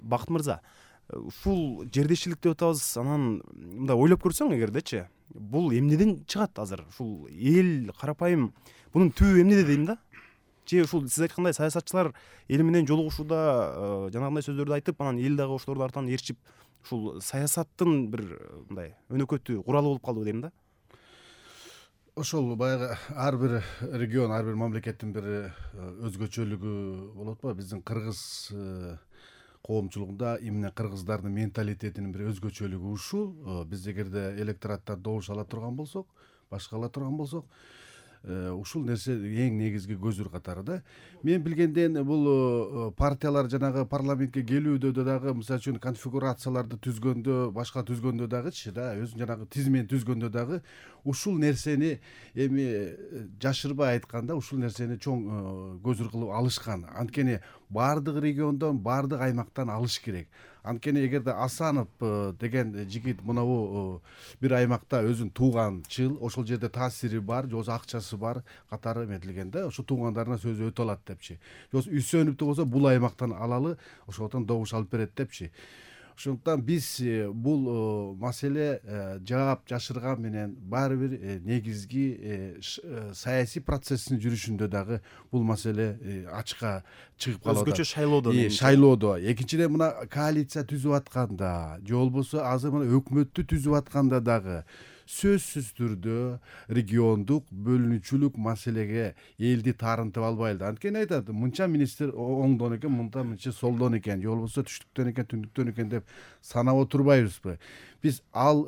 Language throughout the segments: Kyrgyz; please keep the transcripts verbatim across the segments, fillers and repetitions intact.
Бакыт мырза, ушул жердешчилик деп атабыз, анан мындай ойлоп көрсөң эгердечи, бул эмнеден чыгат азыр? Ушул эл карапайым бунун түбү эмнеде дейм да? Же ушул сиз айткандай саясатчылар эл менен жолугушууда жанагындай сөздөрдү айтып, анан эл дагы ошолордун артынан ээрчип, ушул саясаттын бир мындай өнөкөтү куралы болуп калдыбы дейм да? Ошол баягы ар бир регион, ар бир мамлекеттин бир өзгөчөлүгү болот го. Биздин кыргыз коомчулугунда эмне кыргыздардын менталитетинин бир өзгөчөлүгү ушул. Биз эгерде электораттан добуш ала турган болсок, башка ала турган болсок, ушул нерсе эң негизги көзүр катары да. Мен билгенден бул партиялар жанагы парламентке келүүдө дагы, мисалы үчүн конфигурацияларды түзгөндө, башка түзгөндө дагычы да, өзүнүн жанагы тизмени түзгөндө дагы ушул нерсени эми жашырбай айтканда, ушул нерсени чоң көзүр кылып алышкан. Анткени баардык региондон, баардык аймактан алыш керек. Анткени эгерде Асанов деген жигит мынабу бир аймакта өзүн тууганчыл, ошол жерде таасири бар, же болбосо акчасы бар катары эметилген да, ошо туугандарына сөзү өтө алат депчи. Же болбосо Үсөнүптү болсо бул аймактан алалы, ошондон добуш алып берет депчи. Ошондуктан биз бул маселе жаап жашырган менен баары бир негизги саясий процесстин жүрүшүндө дагы бул маселе ачыкка чыгып калат. Өзгөчө шайлоодо. Шайлоодо. Экинчиден мына коалиция түзүп атканда, же болбосо азыр мына өкмөттү түзүп атканда дагы сөзсүз түрдө региондук бөлүнүүчүлүк маселеге элди таарынтып албайлы. Анткени айтат, мынча министр оңдон экен, мынта мынча солдон экен, же болбосо түштүктөн экен, түндүктөн экен деп санап отурбайбызбы? Биз ал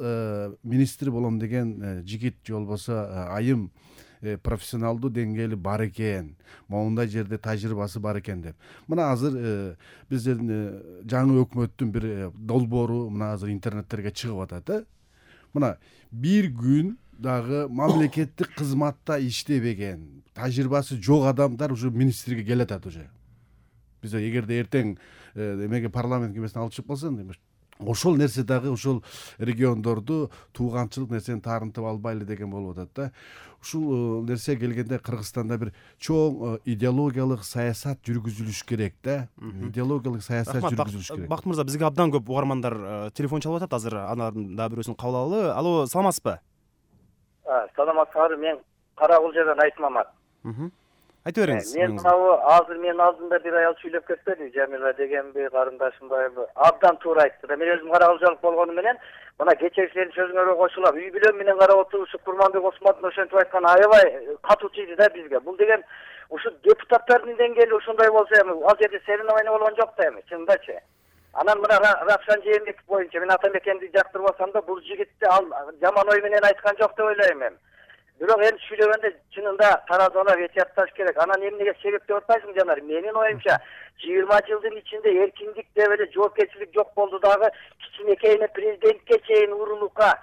министр болом деген жигит же болбосо айым профессионалдуу деңгээли бар экен, моундай жерде тажрыйбасы бар экен деп. Мына азыр биздин жаңы өкмөттүн бир долбоору мына азыр интернеттерге чыгып атат да. Мына бир күн дагы мамлекеттик кызматта иштебеген, тажрыйбасы жок адамдар уже министрге келатат уже. Биз эгерде эртең эмеге парламент кемесине алып чыгып калса, ошол нерсе дагы ошол региондорду тууганчылык нерсени таарынтып албайлы деген болуп атат да. Ушул нерсе келгенде Кыргызстанда бир чоң идеологиялык саясат жүргүзүлүш керек да. Идеологиялык саясат жүргүзүлүш керек. Бакыт мырза, бизге абдан көп угармандар телефон чалып атат азыр, анын дагы бирөөсүн кабыл алалы. Алло, саламатсызбы? Саламатсызбы, мен Каракулжадан Айтмамат. Айта бериңиз. Мен мынабу азыр менин алдымда бир аял сүйлөп кетпеди, Жамила дегенби, карындашымбайбы? Абдан туура айтты. Мен өзүм каракулжалык болгону менен мына кечээкилердин сөзүңөргө кошулам. Үй бүлөм менен карап отурушуп Курманбек Осмоновдун ошентип айтканы аябай катуу тийди да бизге. Бул деген ушу депутаттардын деңгээли ушундай болсо эми, ал жерде соревнование болгон жок да эми, чындачы. Анан мына Равшан Жээнбеков боюнча мен Атамекенди жактырбасам да, бул жигитти ал жаман ой менен айткан жок деп ойлойм эми. Бирок эми сүйлөгөндө чынында таразалап этиятташ керек. Анан эмнеге себеп деп атпайсың жанар? Менин оюмча жыйырма жылдын ичинде эркиндик деп эле жоопкерчилик жок болду дагы, кичинекейине президентке чейин урулукка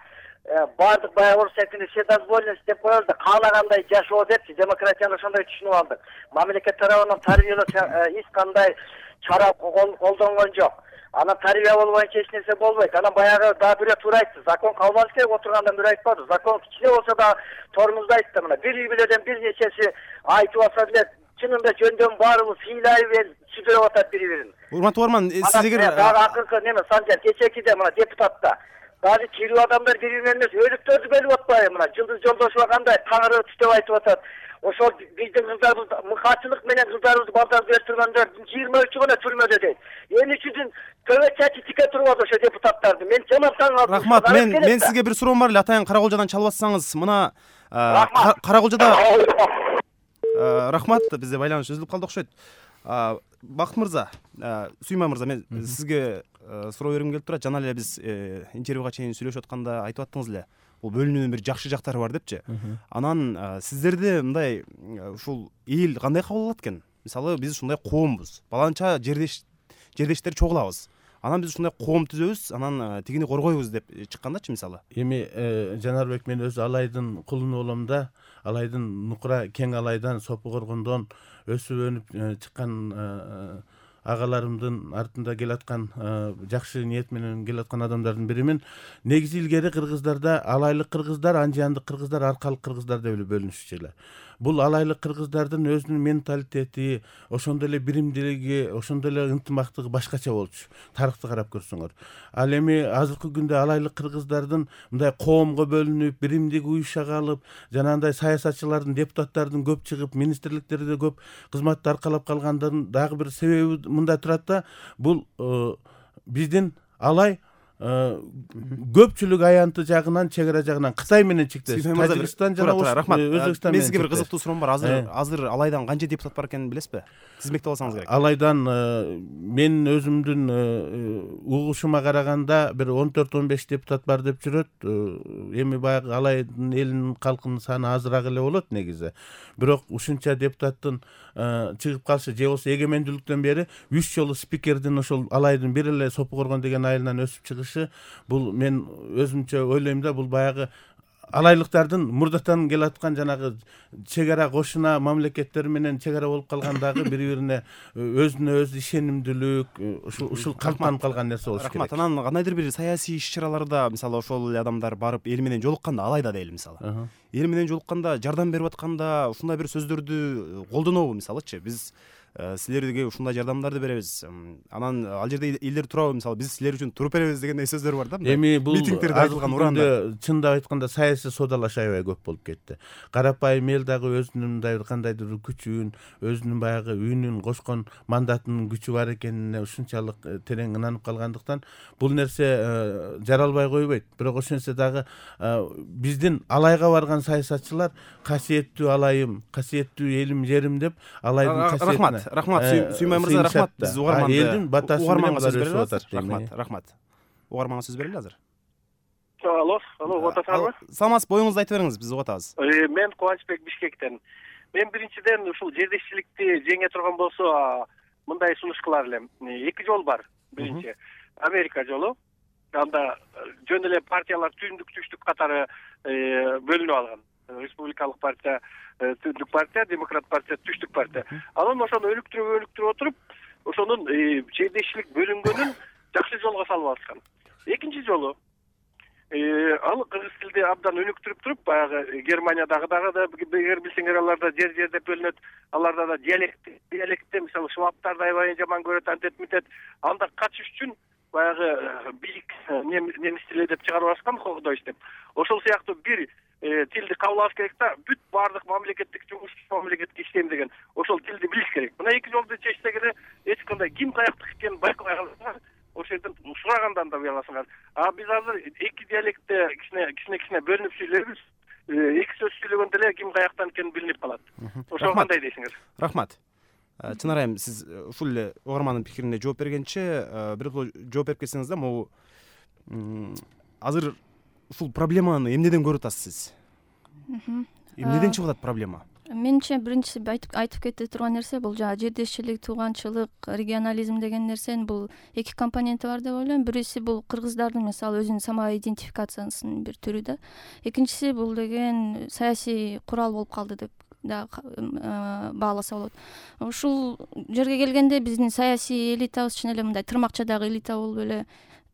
бардык баягы орус тилинде все дозволенность деп коебуз да, каалагандай жашоо депчи, демократияны ошондой түшүнүп алдык. Мамлекет тарабынан тарбиялоо эч кандай чара колдонгон жок. Анан тарбия болбоюнча эч нерсе болбойт. Анан баягы дагы бирөө туура айтты. Закон калбаш керек, отургандан бирөө айтпады. Закон кичине болсо да тормузду айтты. Мына бир үй бүлөдөн бир нечеси айтып алса деле, чынында жөндөн баарыбыз сыйлайбы, сүзүп атат бири-бирин. Урматтуу угарман, сиз эгер дагы акыркы неме Санжар кечекиде мына депутатта дагы тирүү адамдар бири-биринен эмес, өлүктөрдү бөлүп атпайбы? Мына Жылдыз Жолдошова кандай таңыры түтөп айтып атат. Ошол биздин кыздарыбыз мыкаачылык менен кыздарыбызды балдар өстүргөндөр жыйырма үчү гана түрмөдө дейт. Эмне үчүн төбө чачы тике турбады ошо депутаттарды? Мен жаман таң калдым. Рахмат, мен мен сизге бир суроом бар эле, атайын Каракулжадан чалбасаңыз. Мына Каракулжада рахмат, бизде байланыш үзүлүп калды окшойт. Бакыт мырза, Сүймай мырза, мен сизге суроо бергим келип турат. Жана эле биз интервьюга чейин сүйлөшүп атканда айтып аттыңыз эле, бул бөлүнүүнүн бир жакшы жактары бар депчи. Анан сиздерде мындай ушул эл кандай кабыл алат экен? Мисалы, биз ушундай коомбуз, баланча жердеш жердештер чогулабыз. Анан биз ушундай коом түзөбүз, анан тигини коргойбуз деп чыккандачы мисалы. Эми Жанарбек, мен өзү алайдын кулуну болом да, алайдын нукура кең алайдан Сопу Коргондон өсүп өнүп чыккан агаларымдын артында келаткан жакшы ниет менен келаткан адамдардын биримин. Негизи илгери кыргыздарда алайлык кыргыздар, анжандык кыргыздар, аркалык кыргыздар деп эле бөлүнүшчү эле. бул алайлык кыргыздардын өзүнүн менталитети, ошондой эле биримдилиги, ошондой эле ынтымактыгы башкача болчу. Тарыхты карап көрсөңөр. Ал эми азыркы күндө алайлык кыргыздардын мындай коомго бөлүнүп, биримдик уюша калып, жанагындай саясатчылардын, депутаттардын көп чыгып, министрликтерде көп кызматты аркалап калгандын дагы бир себеби мында турат да, бул биздин алай көпчүлүк аянты жагынан, чек ара жагынан Кытай менен чектеш. Тажикстан жана Өзбекстан менен. Мен сизге бир кызыктуу суроом бар. Азыр азыр алайдан канча депутат бар экенин билесизби? Тизмектеп алсаңыз керек. Алайдан мен өзүмдүн угушума караганда бир он төрт он беш депутат бар деп жүрөт. Эми баягы алайдын элинин калкынын саны азыраак эле болот негизи. Бирок ушунча депутаттын чыгып калышы же болбосо эгемендүүлүктөн бери үч жолу спикердин ошол алайдын бир эле Сопу Коргон деген айылынан өсүп чыгышы, бул мен өзүмчө ойлойм да, бул баягы алайлыктардын мурдатан келаткан жанагы чек ара кошуна мамлекеттер менен чек ара болуп калгандагы бири-бирине өзүнө өзү ишенимдүүлүк, ушул ушул калыптанып калган нерсе болуш керек. Рахмат. Анан кандайдыр бир саясий иш-чараларда, мисалы ошол эле адамдар барып эл менен жолукканда, алайда дейли мисалы. Эл менен жолукканда, жардам берип атканда ушундай бир сөздөрдү колдонобу мисалычы? Биз силерге ушундай жардамдарды беребиз. Анан ал жерде элдер турабы, мисалы биз силер үчүн туруп беребиз дегендей сөздөр бар да. Эми бул митингдерде айтылган уранда чындап айтканда саясий содалаш аябай көп болуп кетти. Карапайым эл дагы өзүнүн мындай бир кандайдыр күчүн, өзүнүн баягы үнүн кошкон мандатынын күчү бар экенине ушунчалык терең ынанып калгандыктан бул нерсе жаралбай койбойт. Бирок ошентсе дагы биздин алайга барган саясатчылар касиеттүү алайым, касиеттүү элим, жерим деп алайдын касиетине. Рахмат, Сүймай мырза, рахмат. Биз угарманды элдин батасы менен сөз өсүп берели. атат. Рахмат, рахмат. Угарманга сөз берели азыр. Алло, алло, угуп атасызбы? Саламатсыз, боюңузду айтып бериңиз, биз угуп атабыз. Мен Кубанычбек, Бишкектен. Мен биринчиден ушул жердешчиликти жеңе турган болсо, мындай сунуш кылар элем. Эки жол бар. Биринчи Америка жолу. Анда жөн эле партиялар түндүк түштүк катары бөлүнүп алган. Республикалык партия, түндүк партия, демократ партия, түштүк партия. Анан ошону өнүктүрүп өнүктүрүп отуруп, ошонун жердешчилик бөлүнгөнүн жакшы жолго салып алышкан. Экинчи жолу ал кыргыз тилди абдан өнүктүрүп туруп, баягы Германиядагы дагы эгер билсеңер, аларда жер жер деп бөлүнөт, аларда да диалект, диалектте мисалы швабтарды аябай жаман көрөт, антет митет, анда качыш үчүн баягы бийик немис тили деп чыгарып алышкан, Хохдойч деп. Ошол сыяктуу бир тилди кабыл алыш керек да, бүт баардык мамлекеттик жумуш, мамлекетке иштейм деген ошол тилди билиш керек. Мына эки жолду чечсек эле эч кандай ким каяктык экенин байкабай каласыңар, ошол жерден сурагандан да уяласыңар. А биз азыр эки диалектте кичине кичине кичине бөлүнүп сүйлөйбүз. Эки сөз сүйлөгөндө эле ким каяктан экени билинип калат. Ошол кандай дейсиңер? Рахмат. Чынар айым, сиз ушул эле угармандын пикирине жооп бергенче бир жооп берип кетсеңиз да, могу азыр ушул проблеманы эмнеден көрүп атасыз сиз? Эмнеден чыгып атат проблема? Менимче биринчиси айтып кете турган нерсе бул жана жердешчилик, тууганчылык, регионализм деген нерсенин бул эки компоненти бар деп ойлойм. Биринчиси бул кыргыздардын мисалы өзүнүн самоидентификациясынын бир түрү да. Экинчиси бул деген саясий курал болуп калды деп да бааласа болот. Ушул жерге келгенде биздин саясий элитабыз чын эле мындай тырмакчадагы элита болуп эле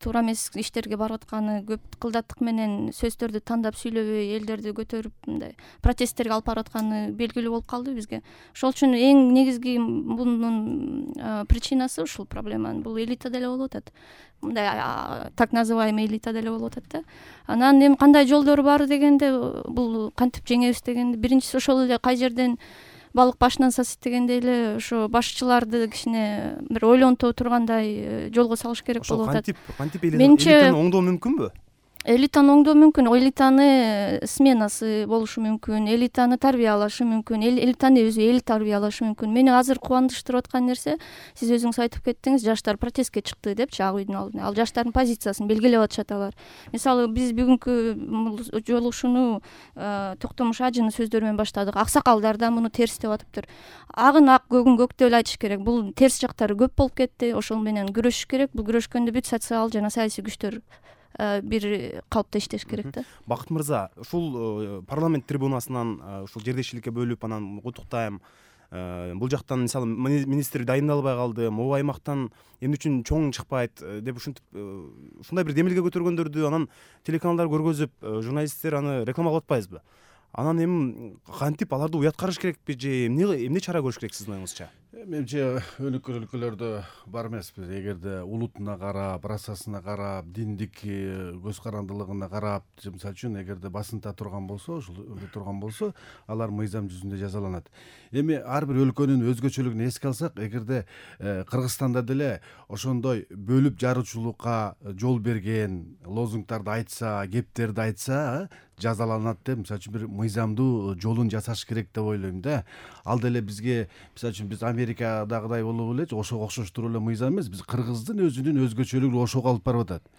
туура эмес иштерге барып атканы, көп кылдаттык менен сөздөрдү тандап сүйлөбөй, элдерди көтөрүп мындай протесттерге алып барып атканы белгилүү болуп калды бизге. Ошол үчүн эң негизги мунун причинасы ушул проблеманын. Бул элита деле болуп атат. Мындай так называемый элита деле болуп атат да. Анан эми кандай жолдору бар дегенде, бул кантип жеңебиз дегенде, биринчиси ошол эле кай жерден балык башынан сасыйт дегендей эле ошо башчыларды кичине бир ойлонто тургандай жолго салыш керек болуп атат. Ошол кантип кантип элитаны оңдоо мүмкүнбү? Элитаны оңдоо мүмкүн, элитаны сменасы болушу мүмкүн, элитаны тарбиялашы мүмкүн, элитаны өзү эл тарбиялашы мүмкүн. Мени азыр кубандырып аткан нерсе, сиз өзүңүз айтып кеттиңиз, жаштар протестке чыкты депчи, ак үйдүн алдына. Ал жаштардын позициясын белгилеп атышат алар. Мисалы биз бүгүнкү жолугушууну Токтомуш Ажынын сөздөрү менен баштадык. Аксакалдар да муну терс деп атыптыр. Агын ак, көгүн көк деп айтыш керек. Бул терс жактары көп болуп кетти. Ошол менен күрөшүш керек. Бул күрөшкөндө бүт социал жана саясий күчтөр бир калыпта иштеш керек да. Бакыт мырза, ушул парламент трибунасынан ушул жердешчиликке бөлүп анан куттуктайм. Бул жактан мисалы министр дайындалбай калды, могу аймактан эмне үчүн чоң чыкпайт деп ушинтип ушундай бир демилге көтөргөндөрдү анан телеканалдар көргөзүп, журналисттер аны рекламалап атпайбызбы? анан эми кантип аларды уяткарыш керекпи же эмне эмне чара көрүш керек сиздин оюңузча? Менимче өнүккөн өлкөлөрдө бар эмеспиз. Эгерде улутуна карап, расасына карап, диндик көз карандылыгына карап, мисалы үчүн эгерде басынта турган болсо, ушул турган болсо, алар мыйзам жүзүндө жазаланат. Эми ар бир өлкөнүн өзгөчөлүгүн эске алсак, эгерде Кыргызстанда деле ошондой бөлүп жаруучулукка жол берген лозунгдарды айтса, кептерди айтса, жазаланат деп, мисалы үчүн бир мыйзамдуу жолун жасаш керек деп ойлойм да. Ал деле бизге, мисалы үчүн биз Америкадагыдай болуп эле, ошого окшоштуруп эле мыйзам эмес, биз Кыргыздын өзүнүн өзгөчөлүгүн ошого алып барып атат.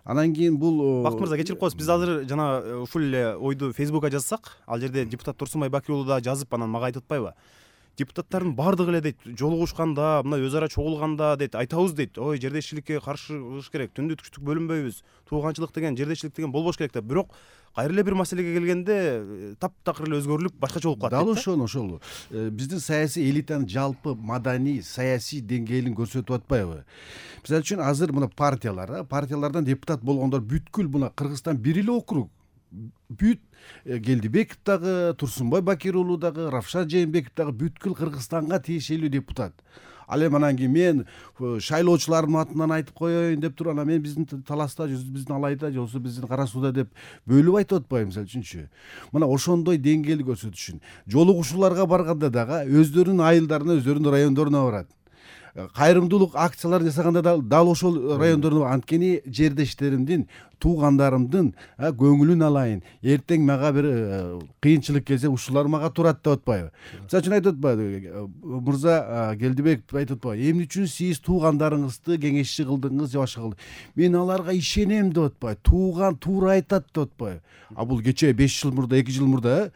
Анан кийин бул Бакыт мырза, кечирип коесуз, биз азыр жана ушул эле ойду Фейсбукка жазсак, ал жерде депутат Турсунбай Бакир уулу да жазып, анан мага айтып атпайбы? Депутаттардын баардыгы эле дейт, жолугушканда, мына өз ара чогулганда дейт, айтабыз дейт, ой, жердешчиликке каршы кылыш керек, түндү түштүк бөлүнбөйбүз, тууганчылык деген, жердешчилик деген болбош керек деп. Бирок кайра эле бир маселеге келгенде таптакыр эле өзгөрүлүп, башкача болуп калат. Дал ошону ошол. Биздин саясий элитанын жалпы маданий, саясий деңгээлин көрсөтүп атпайбы? Мисалы үчүн азыр мына партиялар, партиялардан депутат болгондор бүткүл мына Кыргызстан бир эле округ. Бүт Келдибеков дагы, Турсунбай Бакир уулу дагы, Равшан Жээнбеков дагы бүткүл Кыргызстанга тиешелүү депутат. Ал эми анан кийин мен шайлоочулардын атынан айтып коеюн деп туруп, анан мен биздин таласта, биздин Алайда же болбосо биздин Кара Сууда деп бөлүп айтып атпайбы, мисалы үчүнчү. Мына ошондой деңгээлди көрсөтүш үчүн жолугушууларга барганда дагы өздөрүнүн айылдарына, өздөрүнүн райондоруна барат. Кайрымдуулук акцияларын жасаганда да дал ошол райондордо, анткени жердештеримдин, туугандарымдын көңүлүн алайын, эртең мага бир кыйынчылык келсе ушулар мага турат деп атпайбы? Мисалы үчүн айтып атпайбы, мырза Келдибеков айтып атпайбы, эмне үчүн сиз туугандарыңызды кеңешчи кылдыңыз же башка кылдыңыз? Мен аларга ишенем деп атпайбы, тууган туура айтат деп атпайбы? А бул кечээ беш жыл мурда, эки жыл мурда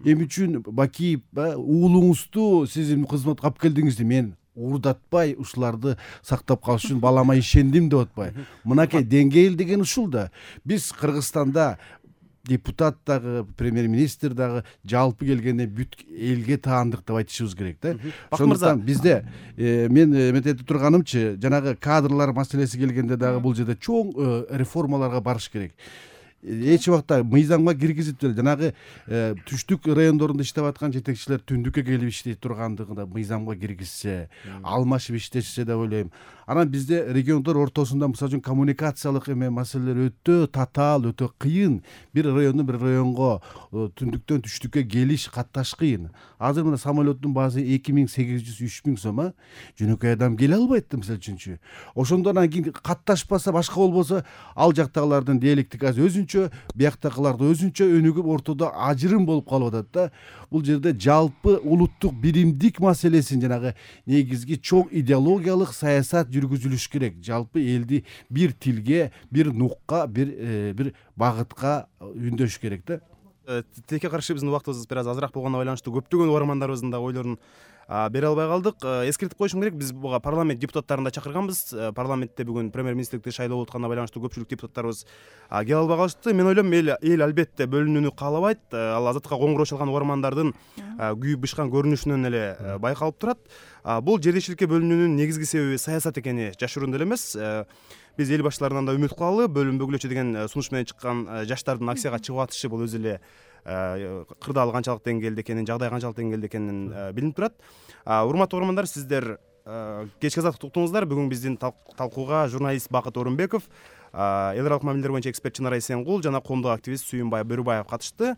эмне үчүн Бакиев уулуңузду сиз кызматка алып келдиңиз деп мен уурдатпай, ушуларды сактап калыш үчүн балама ишендим деп атпайбы? Мынакей деңгээл деген ушул да. Биз Кыргызстанда депутат дагы, премьер-министр дагы жалпы келгенде бүт элге таандык деп айтышыбыз керек да. Ошондуктан бизде мен эметип турганымчы, жанагы кадрлар маселеси келгенде дагы бул жерде чоң реформаларга барыш керек. Эч убакта мыйзамга киргизип деле жанагы түштүк райондорунда иштеп аткан жетекчилер түндүккө келип иштей тургандыгында мыйзамга киргизсе, алмашып иштешсе деп ойлойм. Анан бизде региондор ортосунда мисалы үчүн коммуникациялык эме маселелер өтө татаал, өтө кыйын. Бир райондон бир районго түндүктөн түштүккө келиш, катташ кыйын. Азыр мына самолеттун баасы эки миң сегиз жүз үч миң сом, а жөнөкөй адам келе албайт да, мисалы үчүнчү. Ошондон кийин катташпаса, башка болбосо, ал жактагылардын диалектикасы өзүнчө, бияктагыларды өзүнчө өнүгүп, ортодо ажырым болуп калып атат да. Бул жерде жалпы улуттук биримдик маселесин, жанагы негизги чоң идеологиялык саясат жүргүзүлүш керек. Жалпы элди бир тилге, бир нукка, бир бир багытка үндөш керек да. Тилекке каршы биздин убактыбыз бир аз азыраак болгонуна байланыштуу көптөгөн угармандарыбыздын да ойлорун бере албай калдык. Эскертип коюшум керек, биз буга парламент депутаттарын да чакырганбыз. Парламентте бүгүн премьер-министрликти шайлоо болуп атканына байланыштуу көпчүлүк депутаттарыбыз келе албай калышты. Мен ойлойм, эл албетте бөлүнүүнү каалабайт. Ал азаттыкка коңгуроо чалган угармандардын күйүп бышкан көрүнүшүнөн эле байкалып турат. Бул жердешчиликке бөлүнүүнүн негизги себеби саясат экени жашыруун деле эмес. Биз эл башчыларынан да үмүт кылалы. Бөлүнбөгүлөчү деген сунуш менен чыккан жаштардын акцияга чыгып атышы бул өзү эле кырдаал канчалык деңгээлде экенин, жагдай канчалык деңгээлде экенин билинип турат. Урматтуу угармандар, сиздер кечки азаттыкты уктуңуздар. Бүгүн биздин талкууга журналист Бакыт Орунбеков, эл аралык мамилелер боюнча эксперт Чынара Эсенгул жана коомдук активист Сүйүнбай Бөрүбаев катышты.